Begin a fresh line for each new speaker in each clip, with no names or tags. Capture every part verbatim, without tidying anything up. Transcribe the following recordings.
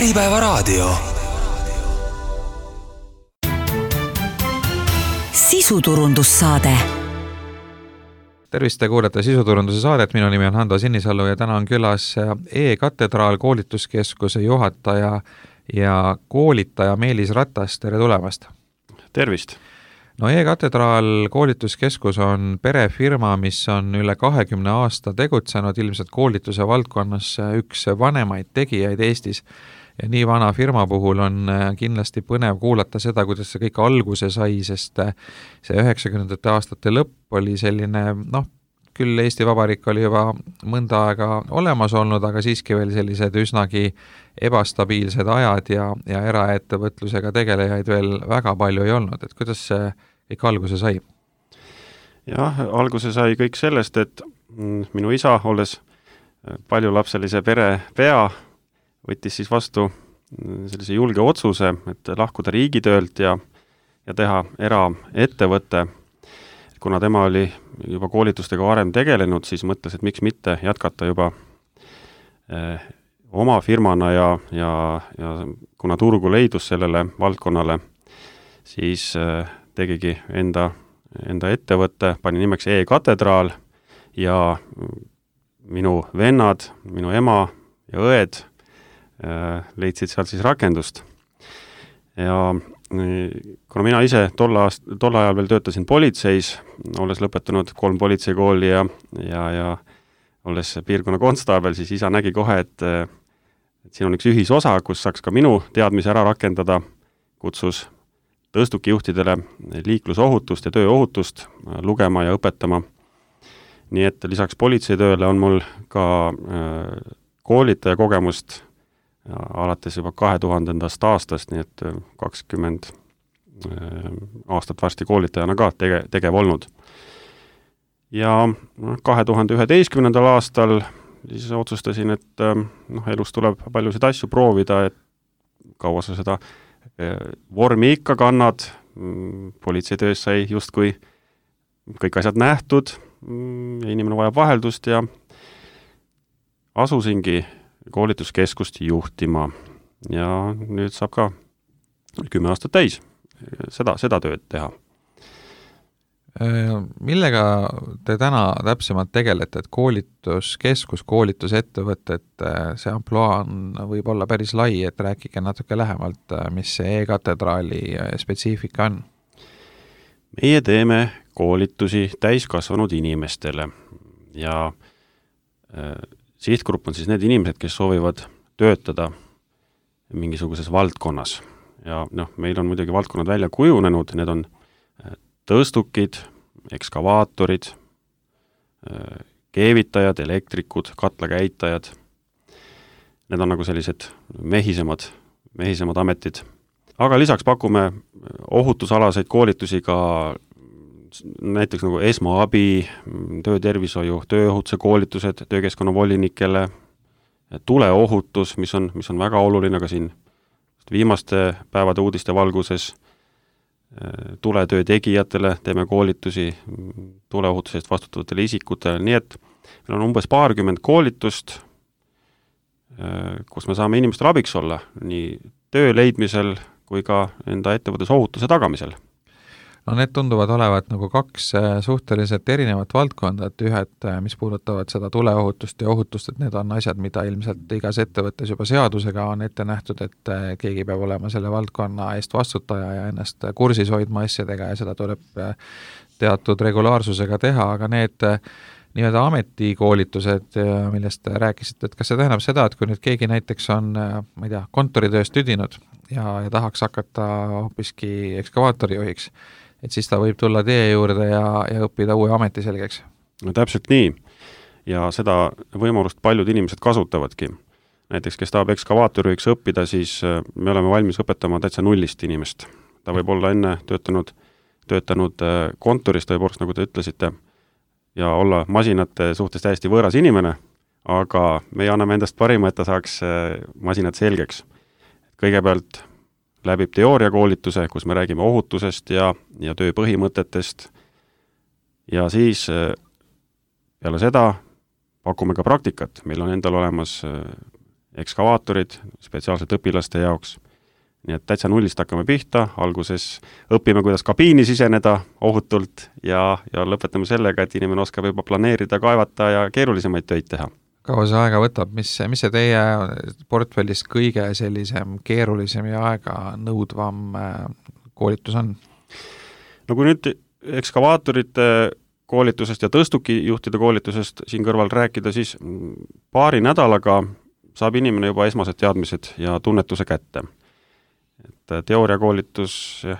Äripäevaraadio.
Sisuturundussaade.
Tervist, te kuulete Sisuturunduse saadet, minu nimi on Hando Sinisalu ja täna on külas E-Katedraal koolituskeskuse juhataja ja koolitaja Meelis Ratas, tere tulemast!
Tervist!
No E-Katedraal koolituskeskus on perefirma, mis on üle kahekümne aasta tegutsenud, ilmselt koolituse valdkonnas üks vanemaid tegijaid Eestis. Ja nii vana firma puhul on kindlasti põnev kuulata seda, kuidas see kõik alguse sai, sest see üheksakümnendate aastate lõpp oli selline, noh, küll Eesti Vabariik oli juba mõnda aega olemas olnud, aga siiski veel sellised üsnagi ebastabiilsed ajad ja, ja eraettevõtlusega tegelejaid veel väga palju ei olnud. Et kuidas see kõik alguse sai?
Jah, alguse sai kõik sellest, et minu isa, olles paljulapselise pere pea, võttis siis vastu sellise julge otsuse, et lahkuda riigitöölt ja, ja teha eraettevõte. Kuna tema oli juba koolitustega varem tegelenud, siis mõtles, et miks mitte jätkata juba eh, oma firmana ja, ja, ja kuna turgu leidus sellele valdkonnale, siis eh, tegigi enda, enda ettevõtte, pani nimeks E-Katedraal ja minu vennad, minu ema ja õed leidsid sealt siis rakendust. Ja kuna mina ise tol, aast, tol ajal veel töötasin politseis, olles lõpetanud kolm politseikooli ja, ja, ja olles piirkonna konstaabel, siis isa nägi kohe, et, et siin on üks ühisosa, kus saaks ka minu teadmise ära rakendada, kutsus tõstukijuhtidele liiklusohutust ja tööohutust lugema ja õpetama. Nii et lisaks politseitööle on mul ka koolitaja kogemust ja alates juba kahe tuhandendast aastast, nii et kakskümmend aastat varsti koolitajana ka tege, tegev olnud. Ja kahe tuhande üheteistkümnendal aastal siis otsustasin, et noh, elus tuleb paljusid asju proovida, et kaua sa seda vormi ikka kannad, politseitöös sai justkui kõik asjad nähtud ja inimene vajab vaheldust ja asusingi koolituskeskust juhtima ja nüüd saab ka kümme aastat täis seda, seda tööd teha.
Millega te täna täpsemalt tegelete, et koolituskeskus, koolitusettevõtted, see amploa on võib olla päris lai, et rääkige natuke lähemalt, mis see E-Katedraali spetsiifika on?
Meie teeme koolitusi täiskasvanud inimestele ja sihtgrupp on siis need inimesed, kes soovivad töötada mingisuguses valdkonnas. Ja noh, meil on muidugi valdkonnad välja kujunenud, need on tõstukid, ekskavaatorid, keevitajad, elektrikud, katlakäitajad. Need on nagu sellised mehisemad, mehisemad ametid. Aga lisaks pakume ohutusalaseid koolitusi ka näiteks nagu esmaabi, töötervishoiu, tööohutuse koolitused töökeskkonna volinikele, tuleohutus, mis on, mis on väga oluline ka siin viimaste päevade uudiste valguses, tuletöö tegijatele teeme koolitusi tuleohutusest vastutavatele isikutele, nii et meil on umbes paarkümmend koolitust, kus me saame inimestele abiks olla nii töö leidmisel kui ka enda ettevõttes ohutuse tagamisel.
No need tunduvad olevat nagu kaks suhteliselt erinevat valdkonda, et ühed, mis puudutavad seda tuleohutust ja ohutust, et need on asjad, mida ilmselt igas ettevõttes juba seadusega on ette nähtud, et keegi peab olema selle valdkonna eest vastutaja ja ennast kursis hoidma asjadega ja seda tuleb teatud regulaarsusega teha, aga need nii-öelda ametikoolitused, millest rääkisite, et kas see tähendab seda, et kui nüüd keegi näiteks on, ma ei tea, kontoritööst tüdinud ja, ja tahaks hakata hoopiski ekskavaatorijuhiks, et siis ta võib tulla teie juurde ja, ja õppida uue ameti selgeks?
No täpselt nii. Ja seda võimalust paljud inimesed kasutavadki. Näiteks, kes tahab ekskavaatorijuhiks õppida, siis me oleme valmis õpetama täitsa nullist inimest. Ta võib olla enne töötanud, töötanud kontoris, tõepoolest, nagu te ütlesite, ja olla masinate suhtes täiesti võõras inimene, aga me anname endast parima, et ta saaks masinad selgeks. Kõigepealt läbib teooriakoolituse, kus me räägime ohutusest ja, ja töö põhimõtetest ja siis peale seda pakume ka praktikat. Meil on endal olemas ekskavaatorid spetsiaalselt õpilaste jaoks. Nii et täitsa nullist hakkame pihta, alguses õpime, kuidas kabiini siseneda ohutult ja, ja lõpetame sellega, et inimene oskab juba planeerida, kaevata ja keerulisemaid töid teha.
Kaua see aega võtab, mis, mis see teie portfellis kõige sellisem keerulisem ja aega nõudvam koolitus on?
No kui nüüd ekskavaatorite koolitusest ja tõstukijuhtide koolitusest siin kõrval rääkida, siis paari nädalaga saab inimene juba esmased teadmised ja tunnetuse kätte. Et teooriakoolitus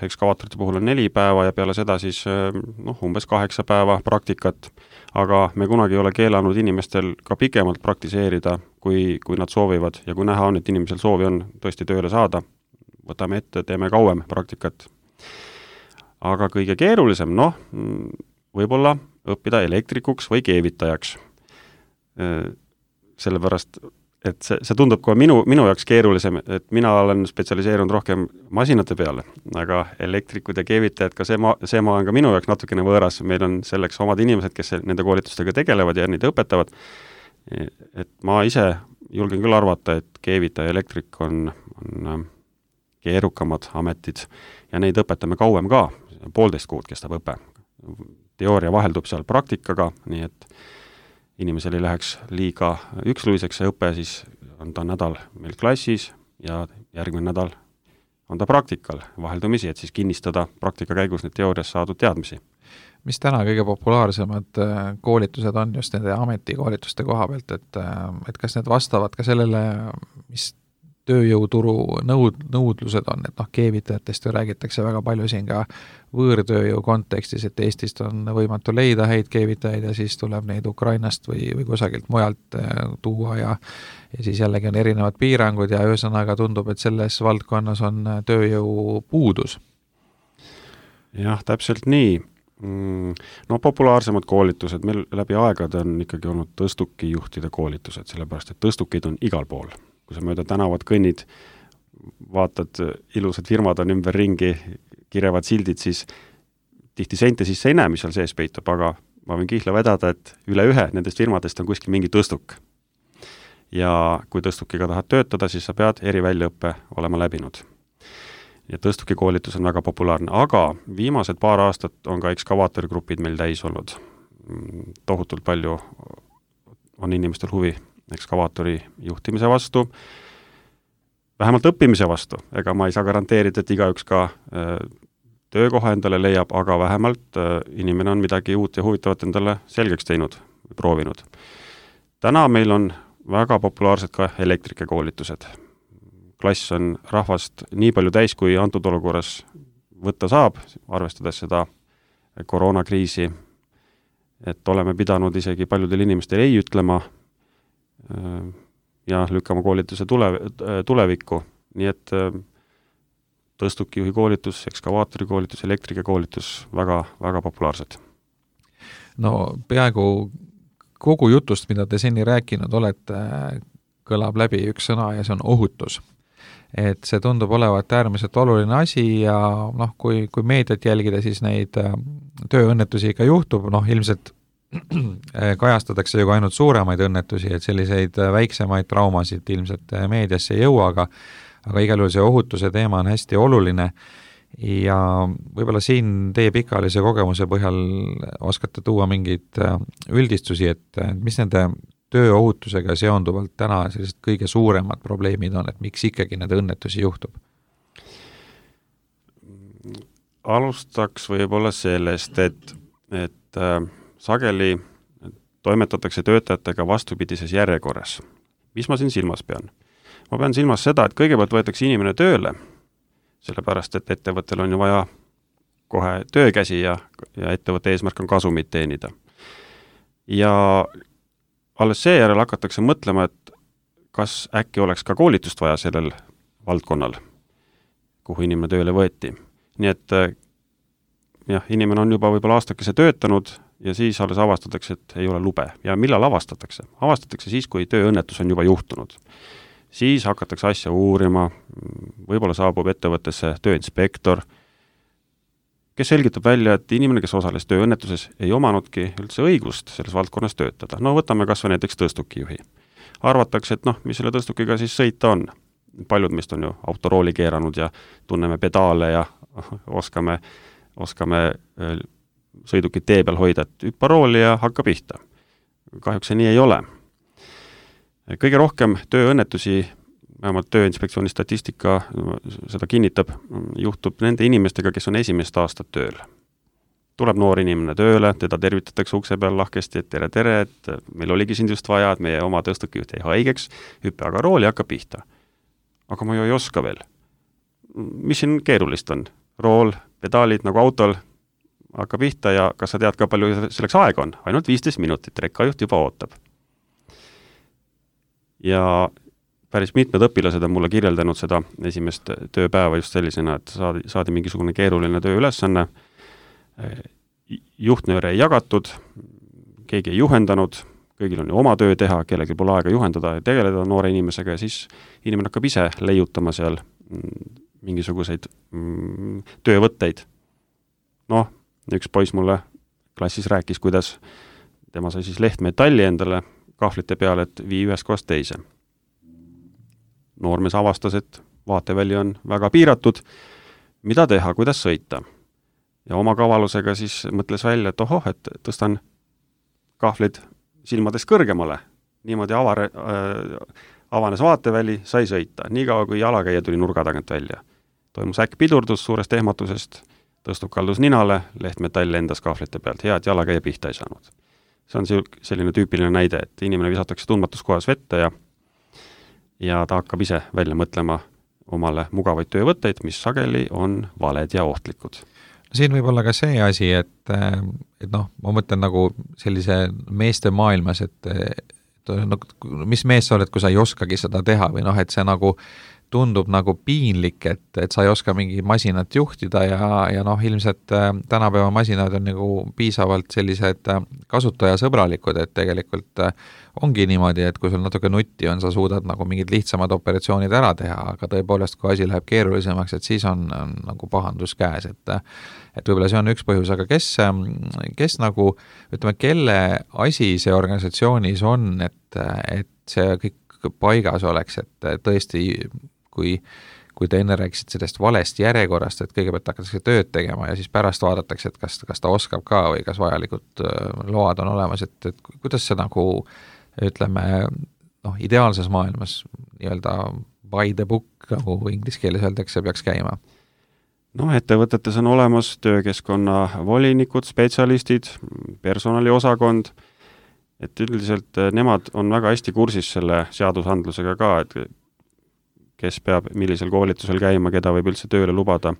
ekskavaatorite puhul on neli päeva ja peale seda siis noh, umbes kaheksa päeva praktikat, aga me kunagi ei ole keelanud inimestel ka pikemalt praktiseerida, kui, kui nad soovivad ja kui näha on, et inimesel soovi on tõesti tööle saada, võtame ette, teeme kauem praktikat. Aga kõige keerulisem, noh, võib-olla õppida elektrikuks või keevitajaks. Sellepärast, et see, see tundub ka minu, minu jaoks keerulisem, et mina olen spetsialiseerunud rohkem masinate peale, aga elektrikud ja keevitajad, ka see maa, see maa on ka minu jaoks natukene võõras, meil on selleks omad inimesed, kes nende koolitustega tegelevad ja neid õpetavad, et ma ise julgen küll arvata, et keevitaja ja elektrik on, on keerukamad ametid ja neid õpetame kauem ka, poolteist kuud kestab õpe. Teooria vaheldub seal praktikaga, nii et inimesel ei läheks liiga üksluiseks see õpe, siis on ta nädal meil klassis ja järgmine nädal on ta praktikal vaheldumisi, et siis kinnistada praktika käigus need teoorias saadud teadmisi.
Mis täna kõige populaarsemad koolitused on just nende ametikoolituste koha pealt, et, et kas need vastavad ka sellele, mis tööjõuturu nõud, nõudlused on, et noh, keevitajatest ju räägitakse väga palju siin ka võõrtööjõu kontekstis, et Eestist on võimatu leida häid keevitajaid ja siis tuleb neid Ukrainast või, või kusagilt mujalt tuua ja, ja siis jällegi on erinevad piirangud ja ühesõnaga tundub, et selles valdkonnas on tööjõu puudus.
Jah, täpselt nii. No populaarsemad koolitused meil läbi aegade on ikkagi olnud tõstukijuhtide koolitused, sellepärast et tõstukid on igal pool. Kui sa mööda tänavat kõnnid, vaatad, ilusad firmad on ümber ringi, kirevad sildid, siis tihti seinte sisse ei näe, mis seal sees peitub, aga ma võin kihla vedada, et üle ühe nendest firmadest on kuskil mingi tõstuk. Ja kui tõstukiga tahad töötada, siis sa pead eriväljaõppe olema läbinud. Ja tõstukikoolitus on väga populaarne, aga viimased paar aastat on ka ekskavaatorigrupid meil täis olnud. Tohutult palju on inimestel huvi ekskavaatori juhtimise vastu, vähemalt õppimise vastu, ega ma ei saa garanteerida, et igaüks ka äh, töökoha endale leiab, aga vähemalt äh, inimene on midagi uut ja huvitavat endale selgeks teinud või proovinud. Täna meil on väga populaarsed ka elektrikekoolitused. Klass on rahvast nii palju täis, kui antud olukorras võtta saab, arvestades seda koroonakriisi, et oleme pidanud isegi paljudel inimestel ei ütlema ja lükkama koolituse tule, tulevikku, nii et tõstukijuhi koolitus, ekskavaatori koolitus, elektrike koolitus väga, väga populaarsed.
No peaaegu kogu jutust, mida te seni rääkinud olete, kõlab läbi üks sõna ja see on ohutus. Et see tundub olevat äärmiselt oluline asi ja noh, kui, kui meediat jälgida, siis neid tööõnnetusi ikka juhtub, noh ilmselt kajastatakse ju ainult suuremaid õnnetusi, et selliseid väiksemaid traumasid ilmselt meediasse ei jõua, aga, aga igal juhul see ohutuse teema on hästi oluline ja võib-olla siin teie pikaajalise kogemuse põhjal oskate tuua mingeid üldistusi, et mis nende tööohutusega seonduvalt täna sellised kõige suuremad probleemid on, et miks ikkagi need õnnetusi juhtub?
Alustaks võib-olla sellest, et, et äh, sageli toimetatakse töötajatega vastupidises järjekorras. Mis ma siin silmas pean? Ma pean silmas seda, et kõigepealt võetakse inimene tööle, sellepärast et ettevõttel on ju vaja kohe töökäsi ja, ja ettevõtte eesmärk on kasumit teenida. Ja alles seejärel hakatakse mõtlema, et kas äkki oleks ka koolitust vaja sellel valdkonnal, kuhu inimene tööle võeti. Nii et jah, inimene on juba võib-olla aastakese töötanud ja siis alles avastatakse, et ei ole lube. Ja millal avastatakse? Avastatakse siis, kui tööõnnetus on juba juhtunud. Siis hakatakse asja uurima, võib-olla saabub ettevõttesse tööinspektor, kes selgitab välja, et inimene, kes osales tööõnnetuses, ei omanudki üldse õigust selles valdkonnas töötada. No võtame kas või näiteks tõstukijuhi. arvatakse, et noh, mis selle tõstukiga siis sõita on. Paljud meist on ju autorooli keeranud ja tunneme pedaale ja oskame, oskame sõidukit tee peal hoida, et hüppa rooli ja hakka pihta. Kahjuks see nii ei ole. Kõige rohkem tööõnnetusi, vähemalt Tööinspektsiooni statistika seda kinnitab, juhtub nende inimestega, kes on esimest aastat tööl. Tuleb noor inimene tööle, teda tervitatakse ukse peal lahkesti, et tere, tere, et meil oligi sind just vaja, et meie oma tõstukijuht jäi haigeks, hüppe aga rooli hakka pihta. Aga ma ju ei oska veel. Mis siin keerulist on? Rool, pedaalid nagu autol, hakka pihta ja kas sa tead ka palju selleks aeg on? Ainult viisteist minutit, rekkajuht juba ootab. Ja päris mitmed õpilased on mulle kirjeldanud seda esimest tööpäeva just sellisena, et saadi, saadi mingisugune keeruline tööülesanne, juhtnööre ei jagatud, keegi ei juhendanud, kõigil on ju oma töö teha, kellelgi pole aega juhendada ja tegeleda noore inimesega ja siis inimene hakkab ise leiutama seal mingisuguseid mm, töövõtteid. Noh, üks poiss mulle klassis rääkis, kuidas tema sai siis lehtmetalli endale kahvlite peale, et vii ühes kohast teise. Noormees avastas, et vaateväli on väga piiratud, mida teha, kuidas sõita. Ja oma kavalusega siis mõtles välja, et ohoh, et tõstan kahvlid silmades kõrgemale. Niimoodi avare, äh, avanes vaateväli, sai sõita. Nii kaua, kui jalakäija tuli nurga tagant välja. Toimus äkk pidurdus suurest ehmatusest, tõstub kaldus ninale, lehtmetall lendas kahvlite pealt. Hea, et jalakäija pihta ei saanud. See on selline tüüpiline näide, et inimene visatakse tundmatus kohas vette ja, ja ta hakkab ise välja mõtlema omale mugavaid töövõtteid, mis sageli on valed ja ohtlikud.
Siin võib olla ka see asi, et, et noh, ma mõtlen nagu sellise meeste maailmas, et, et no, mis mees sa oled, kui sa ei oskagi seda teha või noh, et see nagu tundub nagu piinlik, et, et sa ei oska mingi masinat juhtida ja, ja noh, ilmselt tänapäeva masinad on nagu piisavalt sellised kasutajasõbralikud, et tegelikult ongi niimoodi, et kui sul natuke nutti on, sa suudad nagu mingid lihtsamad operatsioonid ära teha, aga tõepoolest, kui asi läheb keerulisemaks, et siis on, on nagu pahandus käes, et et võib-olla see on üks põhjus, aga kes, kes nagu, ütleme, kelle asi see organisatsioonis on, et, et see kõik paigas oleks, et tõesti, kui, kui te enne rääkisid sellest valest järjekorrast, et kõigepealt hakatakse tööd tegema ja siis pärast vaadatakse, et kas, kas ta oskab ka või kas vajalikud load on olemas, et, et kuidas see nagu, ütleme, noh, ideaalses maailmas nii-öelda by the book, nagu inglise keeles öeldakse, peaks käima?
No, ettevõtetes on olemas töökeskkonna volinikud, spetsialistid, personaliosakond, et üldiselt nemad on väga hästi kursis selle seadusandlusega ka, et kes peab millisel koolitusel käima, keda võib üldse tööle lubada.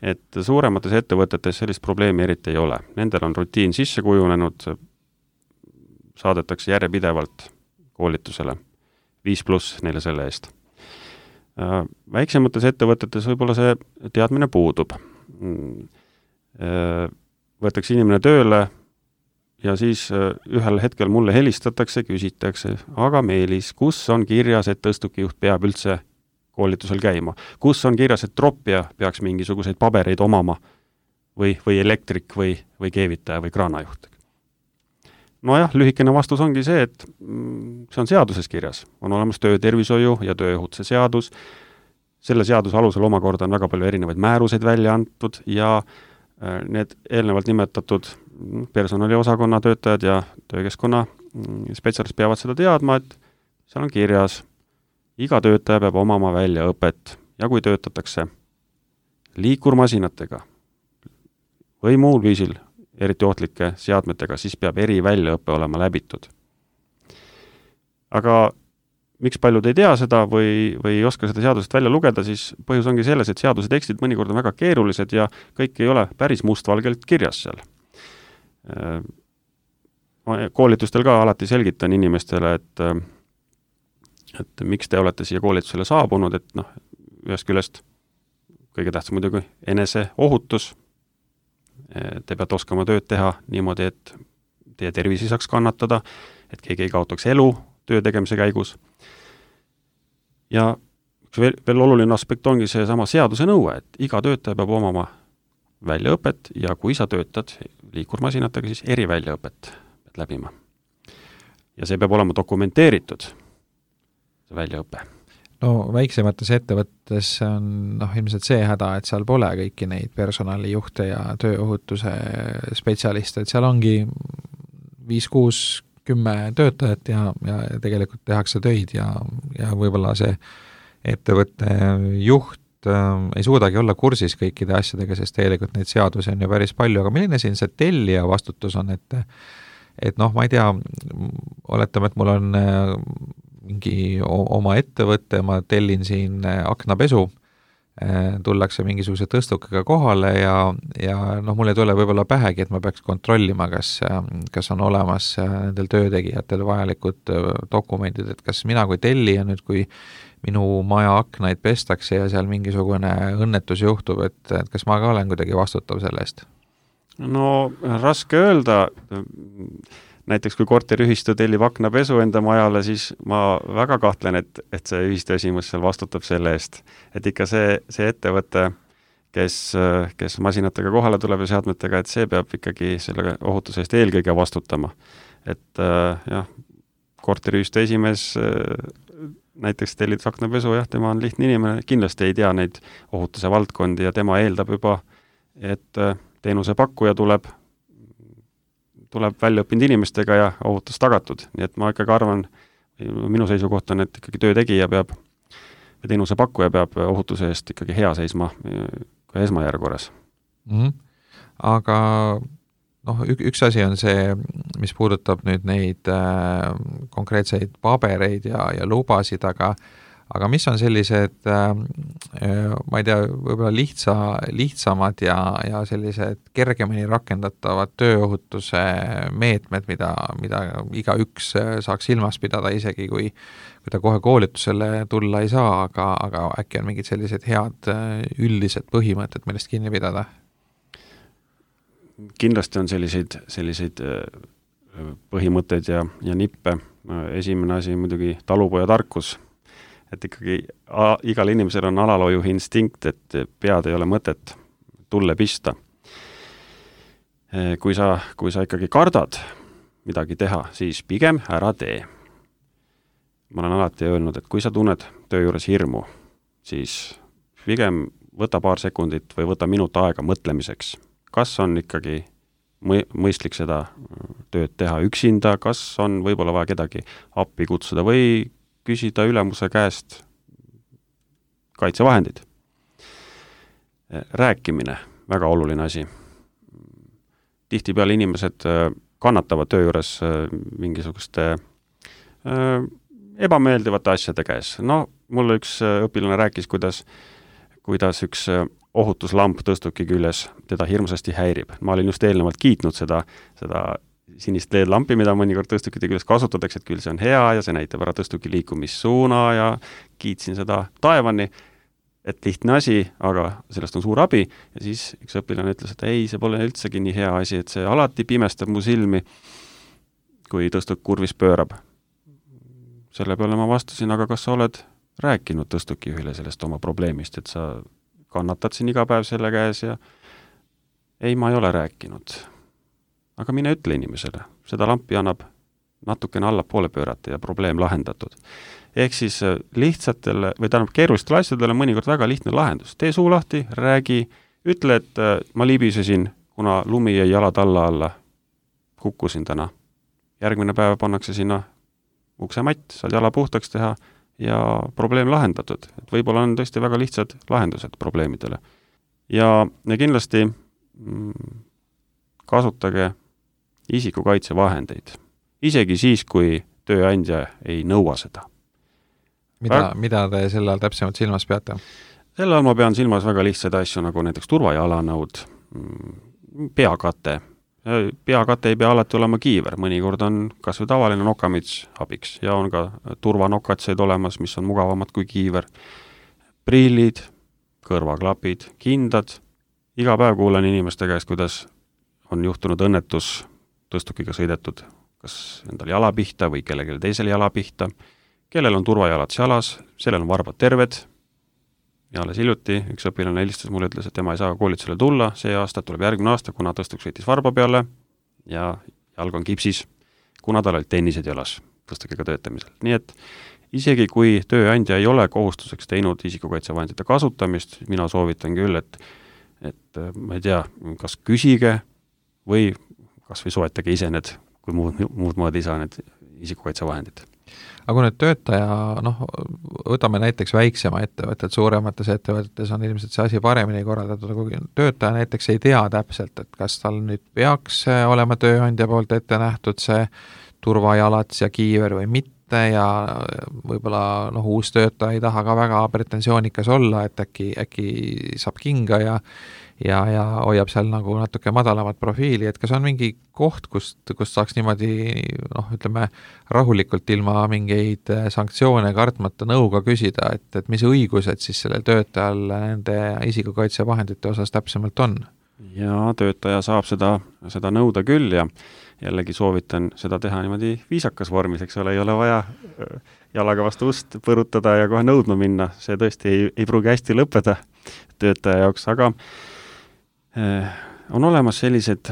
Et suuremates ettevõtetes sellist probleemi eriti ei ole. Nendel on rutiin sisse kujunenud, saadetakse järjepidevalt koolitusele. Viis pluss neile selle eest. Väiksemates ettevõtetes võib-olla see teadmine puudub. Võetakse inimene tööle ja siis ühel hetkel mulle helistatakse, küsitakse, aga Meelis, kus on kirjas, et tõstukijuht peab üldse koolitusel käima? Kus on kirjas, et troppija peaks mingisuguseid pabereid omama või, või elektrik või, või keevitaja või kraanajuht? No jah, lühikene vastus ongi see, et see on seaduses kirjas. On olemas töötervishoiu ja tööohutuse seadus. Selle seaduse alusel omakorda on väga palju erinevaid määruseid välja antud ja need eelnevalt nimetatud personaliosakonna töötajad ja töökeskkonna spetsialist peavad seda teadma, et seal on kirjas, iga töötaja peab omama väljaõpet ja kui töötatakse liikurmasinatega või muul viisil eriti ohtlike seadmetega, siis peab eri väljaõppe olema läbitud. Aga miks paljud ei tea seda või, või ei oska seda seadusest välja lugeda, siis põhjus ongi selles, et seaduse tekstid mõnikord on väga keerulised ja kõik ei ole päris mustvalgelt kirjas seal. Koolitustel ka alati selgitan inimestele, et, et miks te olete siia koolitusele saabunud, et noh, ühest küljest kõige tähtsam muidugi enese ohutus. Te peate oskama tööd teha niimoodi, et teie tervisi saaks kannatada, et keegi ei kaotaks elu töö tegemise käigus. Ja veel, veel oluline aspekt ongi see sama seaduse nõue, et iga töötaja peab omama väljaõpet ja kui sa töötad liikurmasinatega, siis eriväljaõpet pead läbima. Ja see peab olema dokumenteeritud. see väljaõpe.
No väiksemates ettevõttes on noh, ilmselt see häda, et seal pole kõiki neid personalijuhte ja tööohutuse spetsialiste, et seal ongi viis, kuus, kümme töötajat ja, ja tegelikult tehakse töid ja, ja võib-olla see ettevõtte juht äh, ei suudagi olla kursis kõikide asjadega, sest tegelikult neid seadusi on ju päris palju, aga milline siin see tellija vastutus on, et et noh, ma ei tea, oletame, et mul on äh, mingi oma ettevõtte, ma tellin siin aknapesu, tullakse mingisuguse tõstukega kohale ja, ja noh, mul ei tule võib-olla pähegi, et ma peaks kontrollima, kas, kas on olemas nendel töötegijatel vajalikud dokumendid, et kas mina kui tellija nüüd, kui minu maja aknaid pestakse ja seal mingisugune õnnetus juhtub, et, et kas ma ka olen kuidagi vastutav selle eest?
No raske öelda, näiteks kui korteriühistu tellib aknapesu enda majale, siis ma väga kahtlen, et, et see ühistu esimees seal vastutab selle eest. Et ikka see, see ettevõte, kes, kes masinatega kohale tuleb ja seadmetega, et see peab ikkagi selle ohutuse eest eelkõige vastutama. Et jah, korteriühistu esimees näiteks tellid aknapesu, jah, tema on lihtne inimene, kindlasti ei tea neid ohutuse valdkondi ja tema eeldab juba, et teenuse pakkuja tuleb tuleb väljaõppinud inimestega ja ohutus tagatud. Nii et ma ikkagi arvan, minu seisukoht on, et ikkagi töötegija peab ja teenuse pakkuja peab ohutuse eest ikkagi hea seisma ka esmajärgukorras.
Mm-hmm. Aga noh, üks asi on see, mis puudutab nüüd neid äh, konkreetseid pabereid ja, ja lubasid, aga aga mis on sellised, ma ei tea, võib-olla lihtsa, lihtsamad ja, ja sellised kergemini rakendatavad tööohutuse meetmed, mida, mida igaüks saaks silmas pidada, isegi kui, kui ta kohe koolitusele tulla ei saa, aga, aga äkki on mingid sellised head üldised põhimõtted, millest kinni pidada?
Kindlasti on selliseid, selliseid põhimõtteid ja, ja nippe. Esimene asi muidugi talupoja tarkus, et ikkagi a, igal inimesel on alaloojuhi instinkt, et pead ei ole mõtet tulle pista. Kui sa, kui sa ikkagi kardad midagi teha, siis pigem ära tee. Ma olen alati öelnud, et kui sa tunned töö juures hirmu, siis pigem võta paar sekundit või võta minut aega mõtlemiseks. Kas on ikkagi mõistlik seda tööd teha üksinda, kas on võib-olla vaja kedagi appi kutsuda või küsida ülemuse käest kaitsevahendid. Rääkimine, väga oluline asi. Tihtipeale inimesed kannatavad töö juures mingisuguste ebameeldivate asjade käes. No, mulle üks õpilane rääkis, kuidas, kuidas üks ohutuslamp tõstuki küljes teda hirmsasti häirib. Ma olin just eelnevalt kiitnud seda, seda sinist L E D-lampi, mida mõnikord tõstukite küljes kasutatakse, et küll see on hea ja see näitab ära tõstuki liikumissuuna ja kiitsin seda taevani, et lihtne asi, aga sellest on suur abi ja siis üks õpilane ütles, et ei, see pole üldsegi nii hea asi, et see alati pimestab mu silmi, kui tõstuk kurvis pöörab. Selle peale ma vastasin, aga kas sa oled rääkinud tõstukijuhile sellest oma probleemist, et sa kannatad siin iga päev selle käes ja ei, ma ei ole rääkinud. Aga mine ütle inimesele, seda lampi annab natukene alla poole pöörata ja probleem lahendatud. Ehk siis lihtsatele või tähendab keerulistele asjadele mõnikord väga lihtne lahendus. Tee suu lahti, räägi, ütle, et ma libisesin, kuna lumi jäi jalad alla alla, kukkusin täna. Järgmine päev pannakse sinna uksematt, saad jala puhtaks teha ja probleem lahendatud. Et võib-olla on tõesti väga lihtsad lahendused probleemidele. Ja, ja kindlasti mm, kasutage isikukaitsevahendeid. Isegi siis, kui tööandja ei nõua seda.
Mida, Väg... mida te selle all täpsemalt silmas peate?
Selle all ma pean silmas väga lihtsaid asju, nagu näiteks turvajalanõud, peakate. Peakate ei pea alati olema kiiver, mõnikord on kas või tavaline nokamits abiks ja on ka turvanokatseid olemas, mis on mugavamad kui kiiver. Prillid, kõrvaklapid, kindad. Iga päev kuulen inimeste käest, kuidas on juhtunud õnnetus, tõstukiga sõidetud, kas endal jala pihta või kellelegi teisel jala pihta, kellel on turvajalad jalas, sellel on varbad terved ja alles hiljuti üks õpilane helistas mulle, ütles, et tema ei saa koolitusele tulla, see aasta tuleb järgmine aasta, kuna tõstuk sõitis varba peale ja jalg on kipsis, kuna tal olid tennised jalas tõstukiga töötamisel. Nii et isegi kui tööandja ei ole kohustuseks teinud isikukaitsevahendite kasutamist, mina soovitan küll, et, et ma ei tea, kas küsige või kas või soetage ise need, kui muud, muud moodi ei saa need isikukaitsevahendid.
Aga kui nüüd töötaja, noh, võtame näiteks väiksema ettevõtted, suuremates ettevõtetes on ilmselt see asi paremini korraldatud, aga kui töötaja näiteks ei tea täpselt, et kas tal nüüd peaks olema tööandja poolt ette nähtud see turvajalats ja kiiver või mitte ja võib-olla noh, uus töötaja ei taha ka väga pretensioonikas olla, et äkki, äkki saab kinga ja ja, ja hoiab seal nagu natuke madalamat profiili, et kas on mingi koht, kust, kust saaks niimoodi, noh, ütleme, rahulikult ilma mingeid sanktsioone kartmata nõuga küsida, et, et mis õigused siis sellel töötajal nende isikukaitsevahendite osas täpsemalt on?
Ja töötaja saab seda, seda nõuda küll ja jällegi soovitan seda teha niimoodi viisakas vormis, eks ole, ei ole vaja jalaga vastu ust põrutada ja kohe nõudma minna, see tõesti ei, ei pruugi hästi lõppeda töötaja jaoks, aga on olemas sellised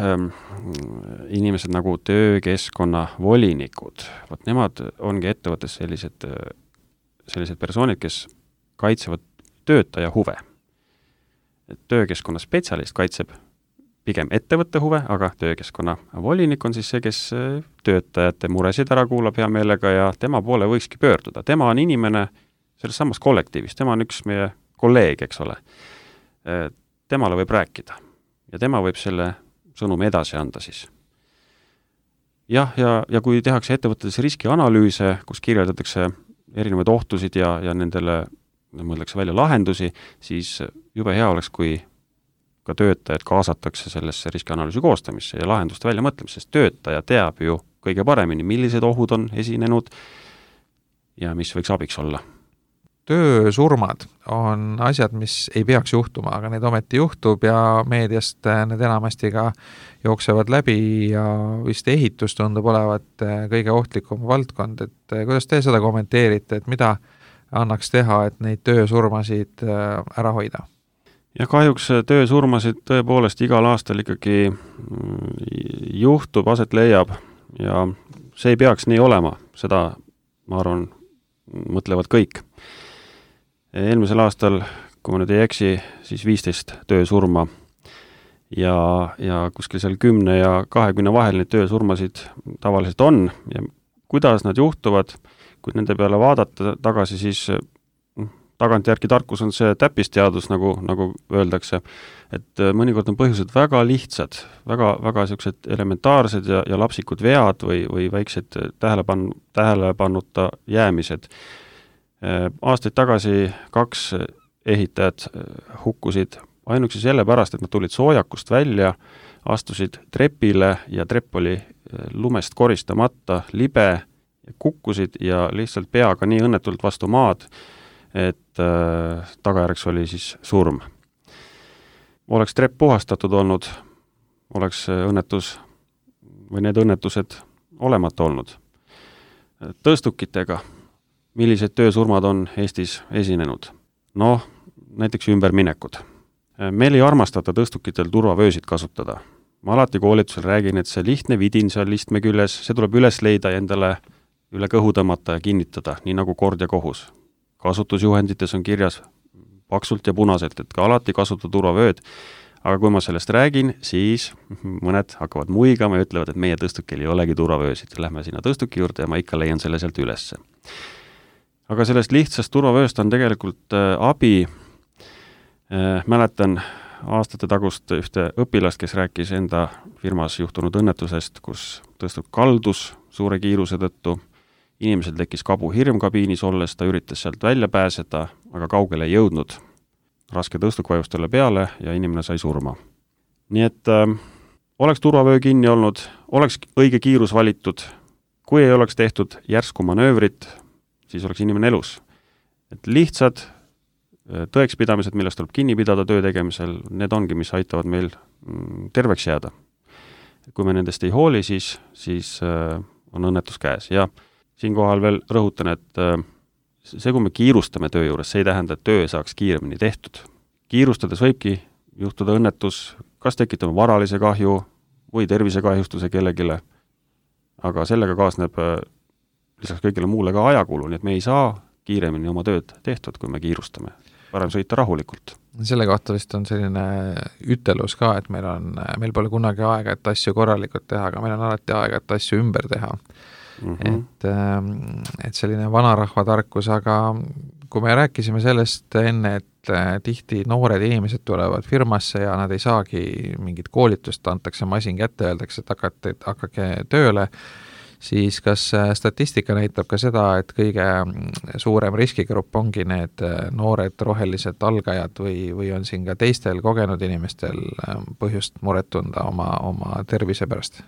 inimesed nagu töökeskkonna volinikud. Vot nemad ongi ettevõttes sellised, sellised persoonid, kes kaitsevad töötaja huve. Töökeskkonna spetsialist kaitseb pigem ettevõtte huve, aga töökeskkonna volinik on siis see, kes töötajate muresid ära kuulab hea meelega ja tema poole võikski pöörduda. Tema on inimene selles samas kollektiivis, tema on üks meie kolleeg, eks ole. Temale võib rääkida. Ja tema võib selle sõnumi edasi anda siis. Jah, ja, ja kui tehakse ettevõtetes riskianalüüse, kus kirjeldatakse erinevaid ohtusid ja, ja nendele mõeldakse välja lahendusi, siis jube hea oleks, kui ka töötajad kaasatakse sellesse riskianalüüsi koostamisse ja lahenduste välja mõtlemisse, sest töötaja teab ju kõige paremini, millised ohud on esinenud ja mis võiks abiks olla.
Töösurmad on asjad, mis ei peaks juhtuma, aga need ometi juhtub ja meediast need enamasti ka jooksevad läbi ja vist ehitus tundub olevat kõige ohtlikum valdkond, et kuidas te seda kommenteerite, et mida annaks teha, et neid töösurmasid ära hoida?
Ja kahjuks töösurmasid tõepoolest igal aastal ikkagi juhtub, aset leiab ja see ei peaks nii olema, seda ma arvan, mõtlevad kõik. Eelmisel aastal, kui ma nüüd ei eksi, siis viisteist töösurma ja, ja kuskil seal kümne ja kahekümne vahel neid töösurmasid tavaliselt on ja kuidas nad juhtuvad, kui nende peale vaadata tagasi, siis tagantjärgi tarkus on see täppisteadus, nagu, nagu öeldakse, et mõnikord on põhjused väga lihtsad, väga, väga sellised elementaarsed ja, ja lapsikud vead või, või väiksed tähelepan, tähelepanuta jäämised. Aastaid tagasi kaks ehitajat hukkusid ainuksi selle pärast, et nad tulid soojakust välja, astusid trepile ja trepp oli lumest koristamata, libe, kukkusid ja lihtsalt peaga nii õnnetult vastu maad, et äh, tagajärjeks oli siis surm. Oleks trepp puhastatud olnud, oleks õnnetus või need õnnetused olemata olnud. Tõstukitega, millised töösurmad on Eestis esinenud? Noh, näiteks ümberminekud. Meil ei armastata tõstukitel turvavöösid kasutada. Ma alati koolitusel räägin, et see lihtne vidin seal listme küljes, see tuleb üles leida ja endale üle kõhu tõmmata ja kinnitada, nii nagu kord ja kohus. Kasutusjuhendites on kirjas paksult ja punaselt, et ka alati kasuta turvavööd, aga kui ma sellest räägin, siis mõned hakkavad muigama ja ütlevad, et meie tõstukil ei olegi turvavöösid. Lähme sinna tõstuki juurde ja ma ikka leian selle sealt ülesse. Aga sellest lihtsast turvavööst on tegelikult äh, abi. Äh, mäletan aastate tagust ühte õpilast, kes rääkis enda firmas juhtunud õnnetusest, kus tõstuk kaldus suure kiiruse tõttu. Inimesel tekkis kabu hirm kabiinis olles, ta üritas sealt välja pääseda, aga kaugele ei jõudnud. Raske tõstuk vajus talle peale ja inimene sai surma. Nii et äh, oleks turvavöö kinni olnud, oleks õige kiirus valitud, kui ei oleks tehtud järsku manöövrit, siis oleks inimene elus. Et lihtsad tõekspidamised, millest tuleb kinni pidada töö tegemisel, need ongi, mis aitavad meil terveks jääda. Kui me nendest ei hooli, siis, siis äh, on õnnetus käes. Ja siinkohal veel rõhutan, et äh, see, kui me kiirustame töö juures, see ei tähenda, et töö saaks kiiremini tehtud. Kiirustades võibki juhtuda õnnetus, kas tekitame varalise kahju või tervisekahjustuse kellegile, aga sellega kaasneb lisaks kõigile muule ka ajakulu, nii et me ei saa kiiremini oma tööd tehtud, kui me kiirustame. Parem sõita rahulikult.
Selle kohta vist on selline ütelus ka, et meil on, meil pole kunagi aega, et asju korralikult teha, aga meil on alati aega, et asju ümber teha. Mm -hmm. et, et selline vanarahva tarkus, aga kui me rääkisime sellest enne, et tihti noored inimesed tulevad firmasse ja nad ei saagi mingit koolitust, antakse masin kätte, öeldakse, et hakake, hakake tööle, siis kas statistika näitab ka seda, et kõige suurem riskigrupp ongi need noored rohelised algajad või, või on siin ka teistel kogenud inimestel põhjust muret tunda oma, oma tervise pärast?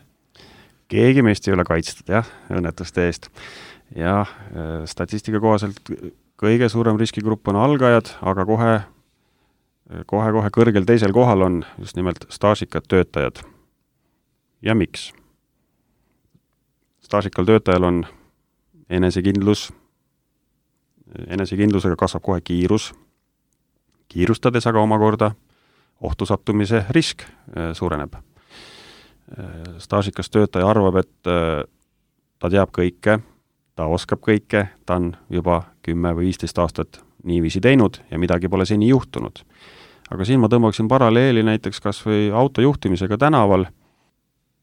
Keegi meist ei ole kaitstud, jah, õnnetuste eest. Ja statistika kohaselt kõige suurem riskigrupp on algajad, aga kohe, kohe, kohe kõrgel teisel kohal on just nimelt staažikad töötajad. Ja miks? Staažikal töötajal on enesekindlus, enesekindlusega kasvab kohe kiirus, kiirustades aga omakorda ohtu sattumise risk suureneb. Staažikas töötaja arvab, et ta teab kõike, ta oskab kõike, ta on juba kümme või viisteist aastat niiviisi teinud ja midagi pole seni juhtunud. Aga siin ma tõmbaksin paralleeli näiteks kas või autojuhtimisega tänaval.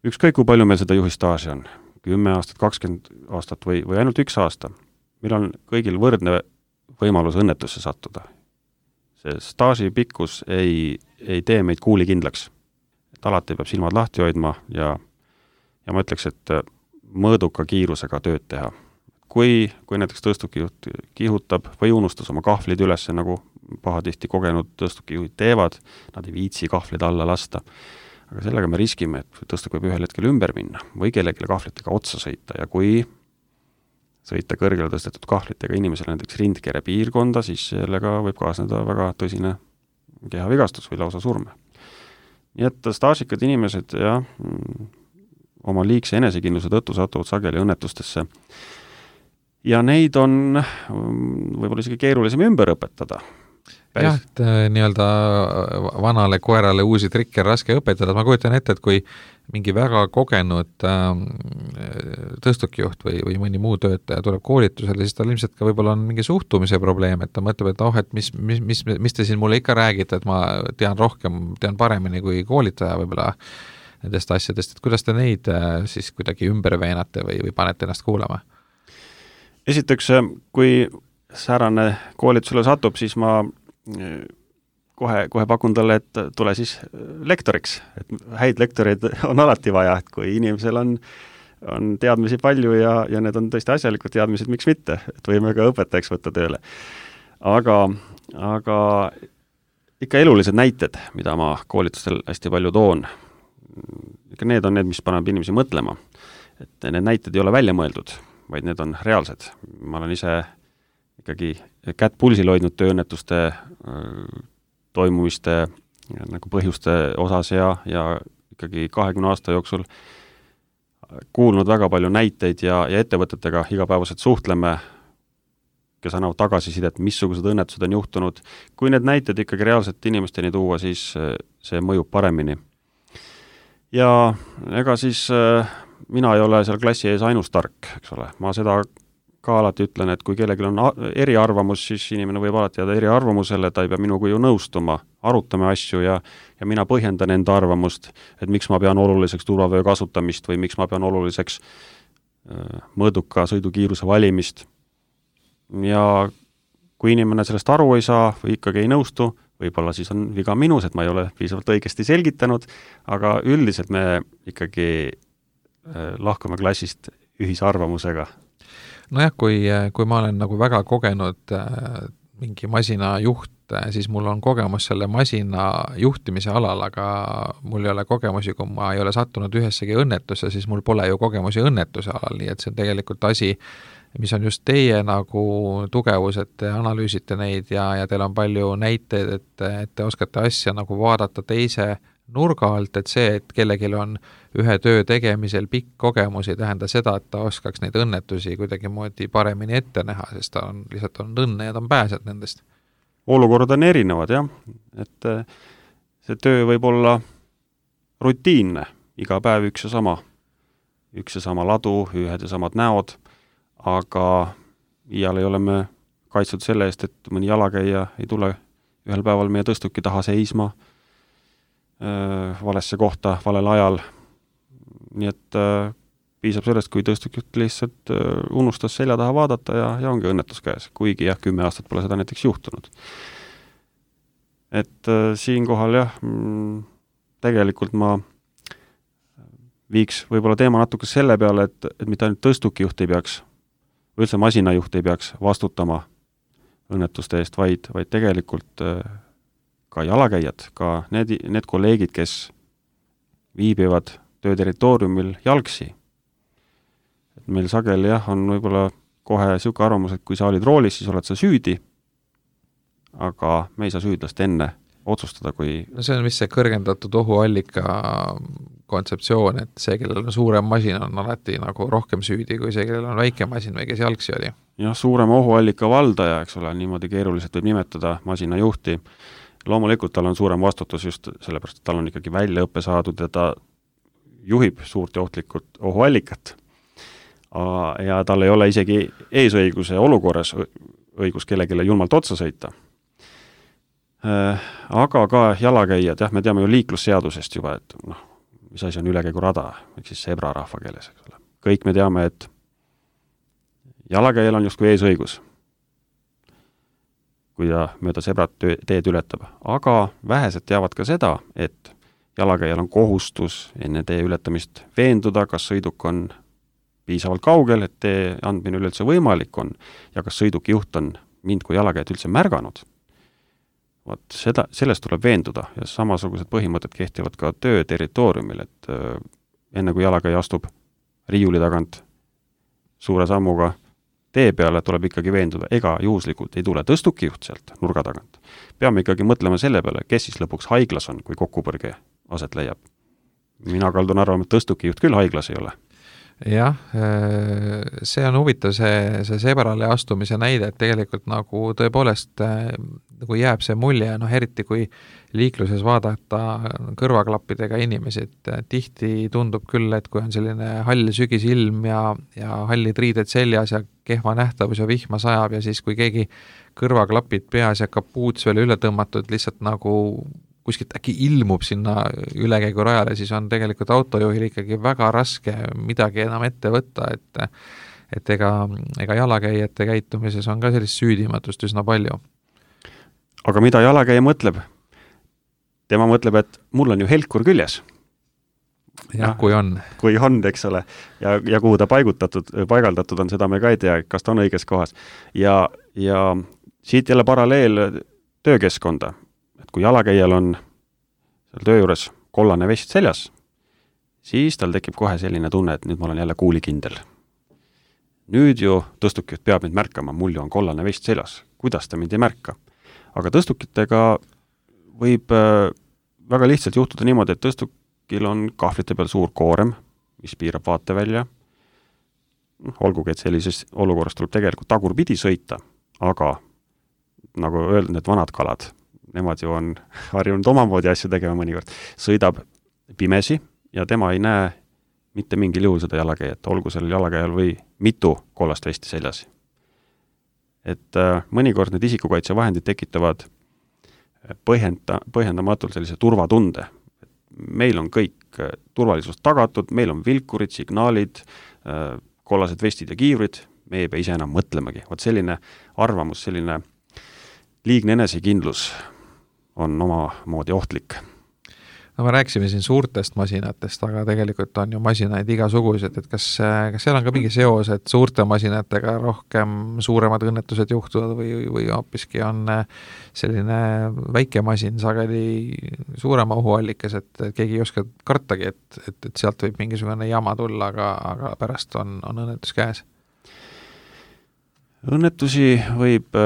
Ükskõik kui palju meil seda juhistaaži on, kümme aastat, kakskümmend aastat või, või ainult üks aasta. Meil on kõigil võrdne võimalus õnnetusse sattuda. See staaži pikkus ei, ei tee meid kuulikindlaks. Et alati peab silmad lahti hoidma ja, ja ma ütleks, et mõõduka kiirusega tööd teha. Kui, kui näiteks tõstukijuht kihutab või unustas oma kahvlid üles, nagu pahatihti kogenud tõstukijuhid teevad, nad ei viitsi kahvlid alla lasta. Aga sellega me riskime, et tõstuk võib ühel hetkel ümber minna või kellelegi kahvlitega otsa sõita ja kui sõita kõrgele tõstetud kahvlitega inimesele näiteks rindkere piirkonda, siis sellega võib kaasneda väga tõsine kehavigastus või lausa surme. Nii et staažikad inimesed ja oma liigse enesekindluse tõttu satuvad sageli õnnetustesse. Ja neid on võib-olla isegi keerulisem ümber õpetada. Päris.
Jah, et nii-öelda vanale koerale uusi trikke raske õpetada. Ma kujutan ette, et kui mingi väga kogenud tõstukijuht või, või mõni muu töötaja tuleb koolitusele, siis tal ilmselt ka võib-olla on mingi suhtumise probleem, et ta mõtleb, et oh, et mis, mis, mis, mis te siin mulle ikka räägite, et ma tean rohkem, tean paremini kui koolitaja võib-olla nendest asjadest, et kuidas te neid siis kuidagi ümber veenate või, või panete ennast kuulama?
Esiteks, kui säärane koolitusele satub, siis ma kohe, kohe pakun talle, et tule siis lektoriks. Et häid lektoreid on alati vaja, et kui inimesel on, on teadmisi palju ja, ja need on tõesti asjalikud teadmised, miks mitte, et võime ka õpetajaks võtta tööle. Aga, aga ikka elulised näited, mida ma koolitustel hästi palju toon, ikka need on need, mis paneb inimesi mõtlema. Et need näited ei ole välja mõeldud, vaid need on reaalsed. Ma olen ise ikkagi kätt pulsil hoidnud tööõnnetuste toimumiste nagu põhjuste osas ja, ja ikkagi kahekümne aasta jooksul kuulnud väga palju näiteid ja, ja ettevõtetega igapäevaselt suhtleme, kes annavad tagasisidet, missugused õnnetused on juhtunud. Kui need näited ikkagi reaalselt inimesteni tuua, siis see mõjub paremini. Ja ega siis mina ei ole seal klassi ees ainus tark, eks ole. Ma seda ka alati ütlen, et kui kellelgi on eriarvamus, siis inimene võib alati jääda eriarvamusele, ta ei pea minuga ju nõustuma, arutame asju ja, ja mina põhjendan enda arvamust, et miks ma pean oluliseks turvavöö kasutamist või miks ma pean oluliseks äh, mõõduka sõidukiiruse valimist. Ja kui inimene sellest aru ei saa või ikkagi ei nõustu, võib-olla siis on viga minus, et ma ei ole piisavalt õigesti selgitanud, aga üldiselt me ikkagi äh, lahkume klassist ühise arvamusega.
Nojah, kui, kui ma olen nagu väga kogenud äh, mingi masina juht, siis mul on kogemus selle masina juhtimise alal, aga mul ei ole kogemusi, kui ma ei ole sattunud ühessegi õnnetusse, siis mul pole ju kogemusi õnnetuse alal, nii et see on tegelikult asi, mis on just teie nagu tugevus, et te analüüsite neid ja, ja teil on palju näiteid, et, et te oskate asja nagu vaadata teise nurga alt, et see, et kellelgi on ühe töö tegemisel pikk kogemus, ei tähenda seda, et ta oskaks neid õnnetusi kuidagi moodi paremini ette näha, sest ta on lihtsalt on õnne ja ta on pääsed nendest.
Olukorrad on erinevad, jah. Et see töö võib olla rutiinne, iga päev üks ja sama. Üks ja sama ladu, ühed ja samad näod, aga iial ei ole me kaitstud selle eest, et mõni jalakäija ei tule ühel päeval meie tõstuki taha seisma äh, valesse kohta, valel ajal. Nii et äh, piisab sellest, kui tõstukjuht lihtsalt äh, unustas selja taha vaadata ja, ja ongi õnnetus käes, kuigi jah, kümme aastat pole seda näiteks juhtunud. Et äh, siinkohal jah, mm, tegelikult ma viiks võib-olla teema natuke selle peale, et, et mitte ainult tõstukijuht ei peaks, või üldse masinajuht ei peaks vastutama õnnetuste eest, vaid, vaid tegelikult äh, ka jalakäijad, ka need, need kolleegid, kes viibivad töö territooriumil jalgsi. Et meil sageli jah, on võib-olla kohe siuke arvamus, et kui sa olid roolis, siis oled sa süüdi, aga me ei saa süüdlast enne otsustada, kui...
No see on vist see kõrgendatud ohuallika kontseptsioon, et see, kellel on suurem masin, on alati nagu rohkem süüdi kui see, kellel on väike masin või kes jalgsi oli.
Jah, suurema ohuallika valdaja, eks ole, niimoodi keeruliselt võib nimetada masinajuhti. Loomulikult tal on suurem vastutus just sellepärast, et tal on ikkagi väljaõppe saadud ja ta juhib suurt ja ohtlikult ohuallikat. Ja tal ei ole isegi eesõiguse olukorras õigus kellegile julmalt otsa sõita. Aga ka jalakäijad, jah, me teame ju liiklusseadusest juba, et noh, mis asi on ülekäigurada, ehk siis sebra rahva keeles, eks ole. Kõik me teame, et jalakäijal on justkui eesõigus, kui ta mööda sebrat teed ületab. Aga vähesed teavad ka seda, et jalakäijal on kohustus enne tee ületamist veenduda, kas sõiduk on piisavalt kaugel, et tee andmine üleüldse võimalik on ja kas sõiduki juht on mind kui jalakäijat üldse märganud. Vaat seda, sellest tuleb veenduda ja samasugused põhimõtted kehtivad ka töö territooriumil, et äh, enne kui jalakäija astub riiuli tagant suure sammuga tee peale, tuleb ikkagi veenduda, ega juhuslikult ei tule tõstukijuht sealt nurga tagant. Peame ikkagi mõtlema selle peale, kes siis lõpuks haiglas on, kui kokkupõrge aset leiab. Mina kaldun arvama, et tõstukijuht küll haiglas ei ole.
Jah, see on huvitav see, see sebrale astumise näide, et tegelikult nagu tõepoolest nagu jääb see mulje, noh eriti kui liikluses vaadata kõrvaklappidega inimesi, et tihti tundub küll, et kui on selline hall sügisilm ja, ja hallid riided seljas ja kehva nähtavus ja vihma sajab ja siis kui keegi kõrvaklapid peas ja kapuuts veel üle tõmmatud lihtsalt nagu kuskilt äkki ilmub sinna ülekäigu rajale, siis on tegelikult autojuhil ikkagi väga raske midagi enam ette võtta, et, et ega, ega jalakäijate käitumises on ka sellist süüdimatust üsna palju.
Aga mida jalakäija mõtleb? Tema mõtleb, et mul on ju helkur küljes.
Jah, kui on.
Kui on, eks ole. Ja, ja kuhu ta paigutatud, paigaldatud on, seda me ka ei tea, kas ta on õiges kohas. Ja, ja siit jälle paralleel töökeskkonda. Et kui jalakäijal on seal töö juures kollane vest seljas, siis tal tekib kohe selline tunne, et nüüd ma olen jälle kuulikindel. Nüüd ju tõstukjuht peab mind märkama, mul ju on kollane vest seljas. Kuidas ta mind ei märka? Aga tõstukitega võib väga lihtsalt juhtuda niimoodi, et tõstukil on kahvlite peal suur koorem, mis piirab vaate välja. Olgugi, et sellises olukorras tuleb tegelikult tagurpidi sõita, aga nagu öeldud, need vanad kalad, nemad ju on harjunud omamoodi asju tegema mõnikord, sõidab pimesi ja tema ei näe mitte mingil juhul seda jalakäijat, olgu sellel jalakäijal või mitu kollast vesti seljas. Et äh, mõnikord need isikukaitsevahendid tekitavad põhjenda, põhjendamatult sellise turvatunde. Meil on kõik turvalisus tagatud, meil on vilkurid, signaalid, äh, kollased vestid ja kiivrid, me ei pea ise enam mõtlemagi. Vaat selline arvamus, selline liigne enesekindlus on oma moodi ohtlik.
No me rääksime siin suurtest masinatest, aga tegelikult on ju masinaid igasugused, et kas, kas seal on ka mingi seos, et suurte masinatega rohkem suuremad õnnetused juhtuvad või, või hoopiski on selline väike masin sageli suurema ohuallikas, et keegi ei oska kartagi, et, et, et sealt võib mingisugune jama tulla, aga, aga pärast on, on õnnetus käes.
Õnnetusi võib